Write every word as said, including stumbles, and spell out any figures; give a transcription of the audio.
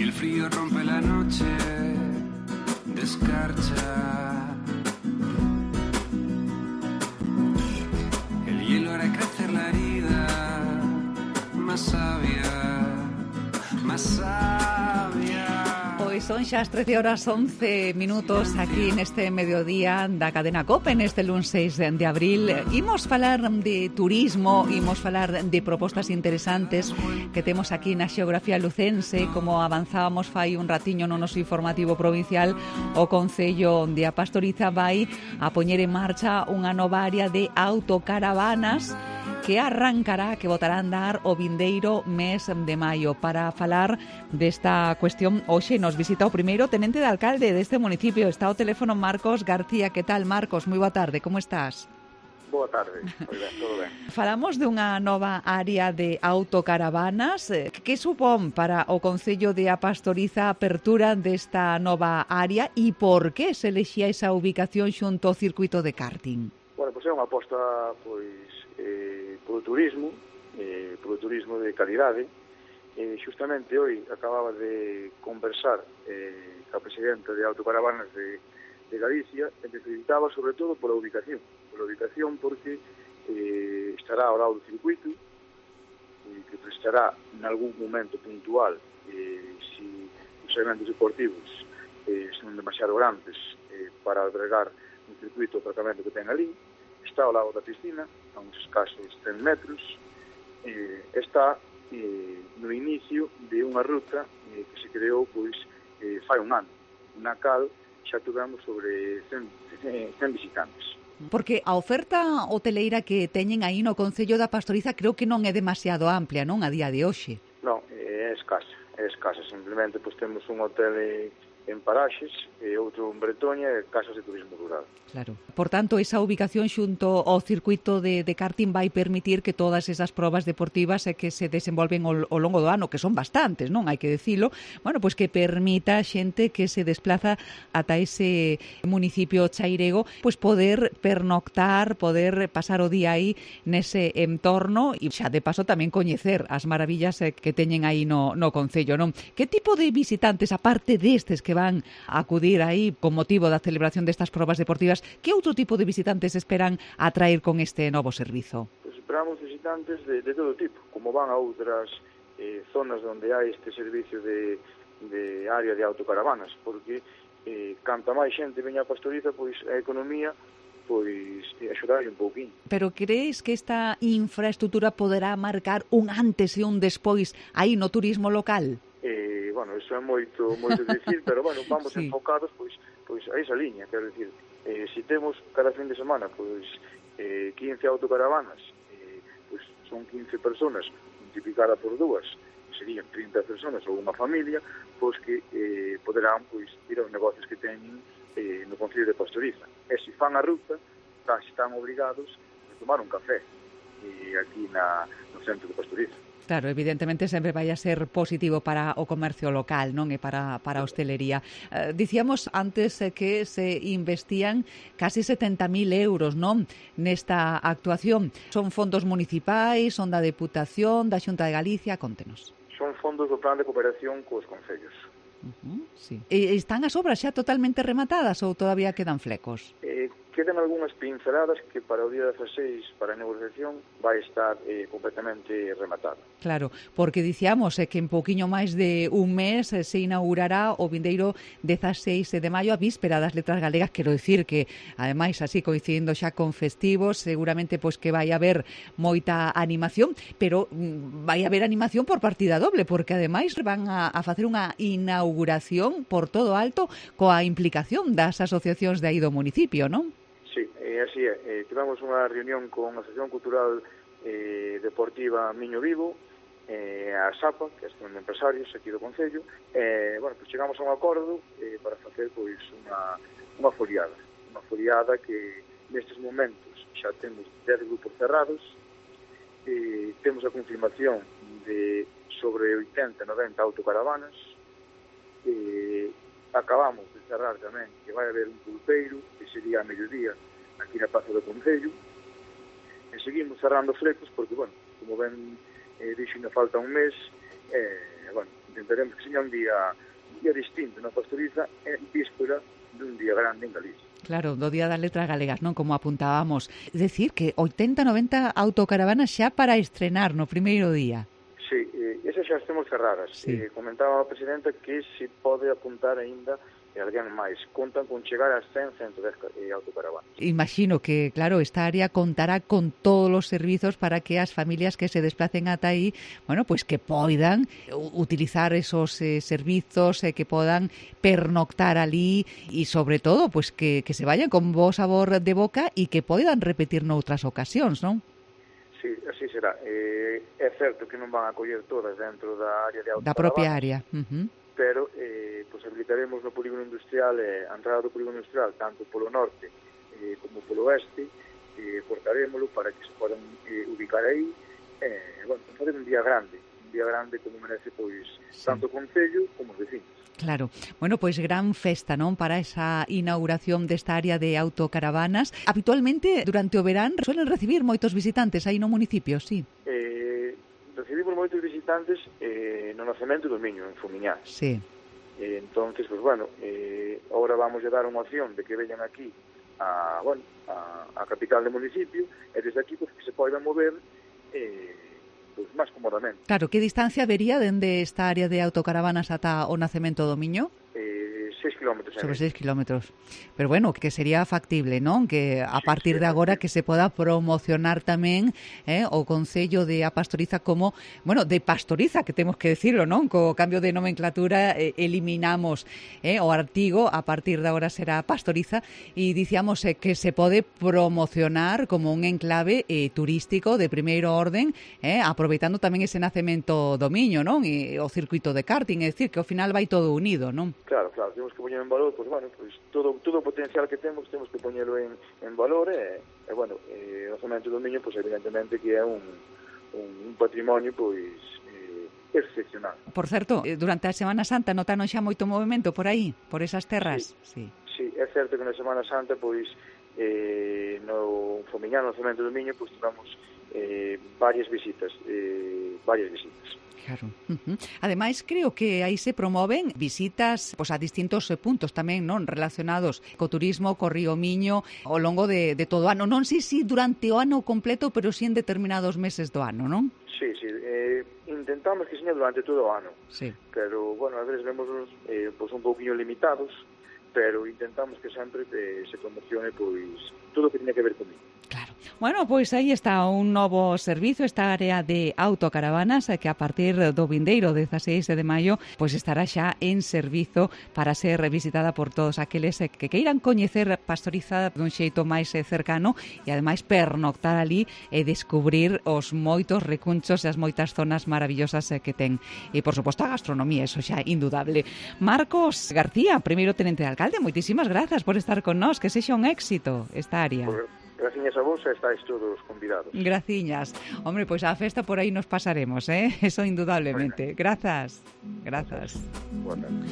el frío rompe la noche de escarcha. El hielo hará crecer la herida más sabia, más sabia. Hoy son xa as trece horas once minutos aquí neste mediodía da cadena COPE neste luns seis de abril. Imos falar de turismo, imos falar de propostas interesantes que temos aquí na xeografía lucense. Como avanzábamos fai un ratiño no noso informativo provincial, o Concello de A Pastoriza vai a poñer en marcha unha nova área de autocaravanas que arrancará, que botará a andar o vindeiro mes de maio. Para falar desta cuestión, hoxe nos visita o primeiro tenente de alcalde deste municipio. Está ao teléfono Marcos García. Que tal, Marcos? Moi boa tarde, como estás? Boa tarde, moi ben, todo ben. Falamos de unha nova área de autocaravanas. Que supón para o Concello de A Pastoriza a apertura desta nova área e por que se elexía esa ubicación xunto ao circuito de karting? Bueno, pois é unha aposta pois eh, polo turismo, eh, polo turismo de calidade. Eh, justamente hoy acababa de conversar eh, ca presidenta de Autocaravanas de, de Galicia, e me felicitaba sobre todo pola ubicación, pola ubicación porque eh, estará ao lado do circuito, eh, que prestará en algún momento puntual eh, si os eventos deportivos eh, son demasiado grandes eh, para albergar un circuito o aparcamento que ten ali. Está ao lado da piscina, a uns escasos cen metros, eh, está eh, no inicio de unha ruta eh, que se creou pois eh, fai un ano, na cal xa tivemos sobre cen, cen visitantes. Porque a oferta hoteleira que teñen aí no Concello da Pastoriza creo que non é demasiado amplia, non, a día de hoxe? Non, é escasa, é escasa, simplemente pois temos un hotel en Paraxes e outro en Bretoña e casas de turismo rural. Claro. Por tanto, esa ubicación xunto ao circuito de, de karting vai permitir que todas esas probas deportivas e que se desenvolven ao, ao longo do ano, que son bastantes, non? Hai que dicilo, bueno, pois que permita a xente que se desplaza ata ese municipio chairego, pois poder pernoctar, poder pasar o día aí nese entorno e xa de paso tamén coñecer as maravillas que teñen aí no, no Concello, non? Que tipo de visitantes, aparte destes que van a acudir aí con motivo da celebración destas probas deportivas, que outro tipo de visitantes esperan atraer con este novo servizo? Pues esperamos visitantes de, de todo tipo, como van a outras eh, zonas onde hai este servicio de, de área de autocaravanas, porque eh, canta máis xente veña a Pastoriza, pois a economía pois axudar un pouquinho. Pero crees que esta infraestructura poderá marcar un antes e un despois aí no turismo local? Eh, bueno, eso é moito moito dicir, pero bueno, vamos sí. enfocados pois pois a esa liña, quero dicir, eh, si temos cada fin de semana pois eh, quince autocaravanas, eh, pois son quince personas multiplicada por dúas, serían trinta personas ou unha familia, pois que eh, poderán pois ir aos negocios que teñen eh, no Concello de Pastoriza. E se fan a ruta, casi están obrigados a tomar un café eh, aquí na, no centro de Pastoriza. Claro, evidentemente sempre vai a ser positivo para o comercio local, non? E para, para a hostelería. Eh, dicíamos antes eh, que se investían casi setenta mil euros, non? Nesta actuación. Son fondos municipais, son da Deputación, da Xunta de Galicia, contenos. Son fondos do Plan de Cooperación cos concellos. Uh-huh, sí. E están as obras xa totalmente rematadas ou todavía quedan flecos? Eh, quedan algunhas pinceladas que para o día dezaseis, para a negociación, vai estar eh, completamente rematada. Claro, porque dicíamos eh, que en pouquiño máis de un mes eh, se inaugurará o vindeiro dezaseis de maio, a víspera das Letras Galegas. Quero dicir que, ademais, así coincidindo xa con festivos, seguramente pois que vai haber moita animación, pero mm, vai haber animación por partida doble, porque ademais van a, a facer unha inauguración por todo alto coa implicación das asociacións de aí do municipio, non? Sí, eh, así é. Eh, tivemos unha reunión con a Asociación Cultural eh, Deportiva Miño Vivo, eh, a SAPA, que é a Asociación de Empresarios aquí do Concello. Eh, bueno, pues chegamos a un acordo eh, para facer pois unha, unha foliada. Unha foliada que nestes momentos xa temos dez grupos cerrados, eh, temos a confirmación de sobre oitenta, noventa autocaravanas, eh, acabamos de cerrar tamén que vai haber un pulpeiro que sería a mediodía aquí na Praza do Concello, e seguimos cerrando flecos porque, bueno, como ben eh, dixo, ainda falta un mes, eh, bueno, intentaremos que seña un día, un día distinto na pastoriza en víspera dun día grande en Galicia. Claro, do Día das Letras Galegas, non? Como apuntábamos. É dicir, que oitenta, noventa autocaravanas xa para estrenar no primeiro día. Sí, eh, esas xa estamos cerradas. Sí. Eh, comentaba a Presidenta que se pode apuntar aínda e alguén máis. Contan con chegar a cen, ciento dez eh, autocaravanas. Imagino que, claro, esta área contará con todos os servizos para que as familias que se desplacen ata aí, bueno, pues que poidan utilizar esos eh, servizos, eh, que podan pernoctar ali e, sobre todo, pues que, que se vayan con bo sabor de boca e que poidan repetir noutras ocasións, non? Sí, así será. Eh, é certo que non van a coller todas dentro da área de autocaravanas. Da propia área. Uh-huh. Pero eh, pues habilitaremos no polígono industrial, eh, a entrada do polígono industrial, tanto polo norte eh, como polo oeste, eh, cortarémolo para que se podan eh, ubicar aí, eh, bueno, fazer un día grande, un día grande como merece, pois, sí, tanto o Concello como os vecinos. Claro. Bueno, pois gran festa, non, para esa inauguración desta área de autocaravanas. Habitualmente, durante o verán, suelen recibir moitos visitantes aí no municipio, sí? Eh, recibimos moitos visitantes eh, no nacemento do Miño, en Fumiñá. Sí. Eh, entonces, pues bueno, eh, ahora vamos a dar unha opción de que veñan aquí a, bueno, a, a capital do municipio, e desde aquí pues, que se poidan mover eh, pues, máis cómodamente. Claro, que distancia vería dende esta área de autocaravanas ata o nacemento do Miño? Eh, seis kilómetros. Sobre seis kilómetros. Pero bueno, que sería factible, non? Que a sí, partir sí, de agora sí. que se poda promocionar tamén eh, o Concello de A Pastoriza como, bueno, de Pastoriza, que temos que decirlo, non? Co cambio de nomenclatura eh, eliminamos eh, o artigo, a partir de agora será Pastoriza, e dicíamos eh, que se pode promocionar como un enclave eh, turístico de primeiro orden, eh, aproveitando tamén ese nacemento do Miño, non? E o circuito de karting, é dicir, que ao final vai todo unido, non? Claro, claro, temos que poñer en valor, pues bueno, pues todo todo o potencial que temos, temos que poñelo en, en valor e, e bueno, eh, o nacemento do Miño, pues evidentemente que é un, un, un patrimonio, pois, eh, excepcional. Por certo, durante a Semana Santa notaron xa moito movimento por aí, por esas terras? Sí, sí, é certo que na Semana Santa, pois, eh, no Fomiñán, no nacemento do Miño, pois tivemos eh, varias visitas, eh, varias visitas. Claro. Uh-huh. Ademais, creo que aí se promoven visitas pues, a distintos puntos tamén, non, relacionados co turismo, co río Miño, ao longo de, de todo o ano. Non sei se durante o ano completo, pero si en determinados meses do ano, non? Sí, sí. Eh, intentamos que seña durante todo o ano. Sí. Pero, bueno, a veces vemos eh, pues, un pouquinho limitados, pero intentamos que sempre eh, se promocione pois todo o que tiña que ver comigo. Claro. Bueno, pois aí está un novo servizo, esta área de autocaravanas que a partir do vindeiro dezaseis de maio pois estará xa en servizo para ser visitada por todos aqueles que queiran coñecer Pastoriza dun xeito máis cercano e ademais pernoctar ali e descubrir os moitos recunchos e as moitas zonas maravillosas que ten. E por suposto a gastronomía, eso xa indudable. Marcos García, primeiro tenente de alcalde, moitísimas grazas por estar con nós, que sexa un éxito esta área. Por... Graciñas a vos, estáis todos convidados. Graciñas. Hombre, pois pues a festa por aí nos pasaremos, eh? Eso indudablemente. Grazas. Grazas. Bueno.